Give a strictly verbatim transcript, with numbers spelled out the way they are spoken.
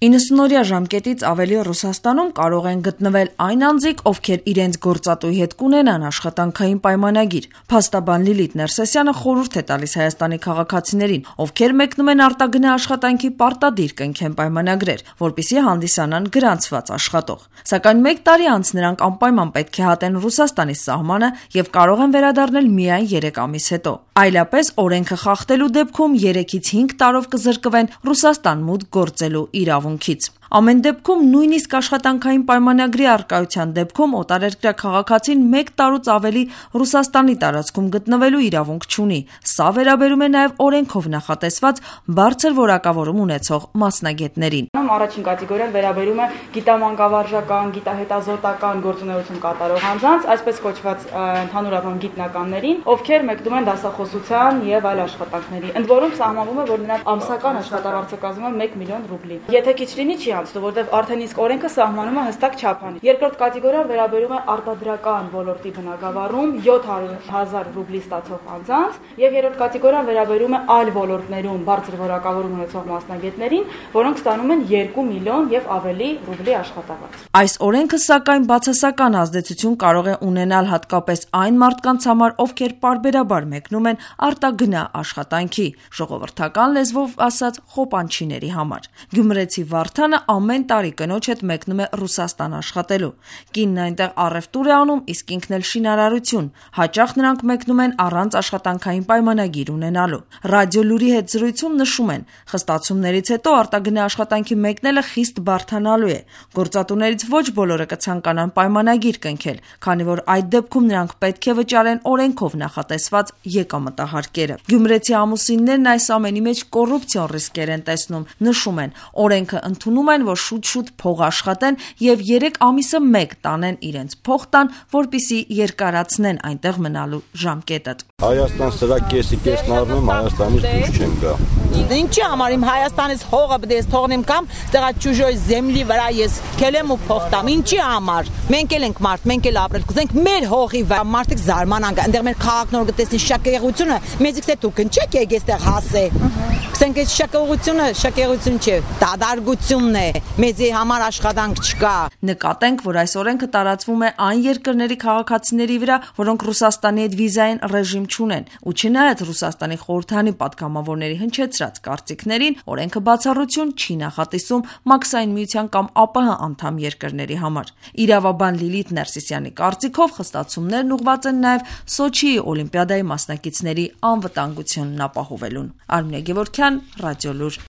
իննսունօրյա ժամկետից ավելի Ռուսաստանում կարող են գտնվել այն անձիկ, ովքեր իրենց գործատուի հետ կունենան աշխատանքային պայմանագիր։ Փաստաբան Լիլիթ Ներսեսյանը խորհուրդ է տալիս Հայաստանի քաղաքացիներին, ովքեր մեկնում են արտագնա աշխատանքի պարտադիր կնքեն պայմանագրեր, որպեսզի հանդիսանան գրանցված աշխատող։ Սակայն մեկ տարի անց նրանք անպայման պետք է հատեն Ռուսաստանի սահմանը եւ կարող են վերադառնել միայն երեք ամիս հետո։ Այլապես օրենքը խախտելու դեպքում երեքից հինգ տարով կզրկվեն Ռուսաստան մուտք գործելու իրավունքից։ Ամեն դեպքում նույնիսկ աշխատանքային պայմանագրի առկայության դեպքում օտարերկրյա քաղաքացին մեկ տարուց ավելի Ռուսաստանի տարածքում գտնվելու իրավունք չունի։ Սա վերաբերում է նաև օրենքով նախատեսված բարձր որակավորում ունեցող մասնագետներին։ Առաջին կատեգորիան վերաբերում է գիտամանկավարժական, գիտահետազոտական գործունեություն կատարող անձանց, այսպես կոչված ընդհանուր առմամբ գիտնականներին, ովքեր մեկնում են դասախոսության եւ այլ աշխատանքների, ընդ որում սահմանվում է, որ նրանց ամսական աշխատավարձը կազմում է մեկ միլիոն ռուբլի։ Եթե քիչ լինի, չի անցնում, որտեղ արդեն իսկ օրենքը սահմանում է հստակ չափանիշ։ Երկրորդ կատեգորիան վերաբերում է արտադրական ոլորտի բնագավառում յոթ հազար ռուբլի ստացող անձանց, եւ երրորդ կատեգորիան վերաբերում է այլ ոլորտներում բարձր որակավորում ունեցող մասնագետներին, որոնք ստանում են երկու միլիոն եւ ավելի ռուբլի աշխատավարձ։ Այս օրենքը սակայն բացասական ազդեցություն կարող է ունենալ հատկապես այն մարդկանց համար, ովքեր պարբերաբար մեկնում են արտագնա աշխատանքի, ժողովրդական լեզվով ասած խոպանչիների համար։ Գյումրեցի Վարդանը ամեն տարի կնոջ հետ մեկնում է Ռուսաստան աշխատելու։ Կինն այնտեղ առևտուր է անում, իսկ ինքն էլ շինարարություն։ Հաճախ նրանք մեկնում են առանց աշխատանքային պայմանագիր ունենալու։ Ռադիոլուրի հետ զրույցում նշում են, խստացումներից հետո արտագնա աշխատանքի մեկնելը խիստ բարդանալու է։ Գործատուներից ոչ բոլորը կցանկանան պայմանագիր կնքել, քանի որ այդ դեպքում նրանք պետք է վճարեն օրենքով նախատեսված եկամտահարկերը։ Գյումրեցի ամուսիններն այս ամենի մեջ կոռուպցիոն ռիսկեր են տեսնում, նշում են, օրենքը ընդունում են, որ շուտ-շուտ փող աշխատեն եւ երեք ամիսը մեկ տանեն իրենց փող տան, որպիսի երկարացնեն այնտեղ մնալու ժամկետը։ Հայաստան սրա կեսի կեսն առնում, Հայաստանից դուրս չեն գա։ Ինչի համար իմ Հայաստանից հողը բդես թողնեմ կամ տեղա ճուժոյ земլի վրա ես քելեմ ու փող տամ։ Ինչի համար։ Մենք էլ ենք մարդ, մենք էլ ապրել կուզենք մեր հողի վրա։ Մարդիկ զարմանան, այնտեղ մեր քաղաքնորը գտեսնի շակերությունը, մեզիքս է դուք ինչեք եք այստեղ հասե։ Կսենք այս շակերությունը, շակերություն չէ, դադարգությունն է, մեզի համար աշխատանք չկա։ Նկատենք, որ այս օրենքը տարածվում է այն երկրների քաղաքացիների վրա, որոնք Ռուսաստանի հետ վիզային ռեժիմ չունեն, ու չնայած Ռուսաստանի խորհրդանի պատգամավորների հնչեցրած կարծիքներին, օրենքը բացառություն չի նախատեսում Մաքսային միության կամ ԱՊՀ անդամ երկրների համար։ Իրավաբան Լիլիթ Ներսիսյանի կարծիքով խստացումներն ուղղված են նաև Սոչիի օլիմպիադայի մասնակիցների անվտանգությունն ապահովելուն։ Արմինե Գևորգյան, Ռադիոլուր։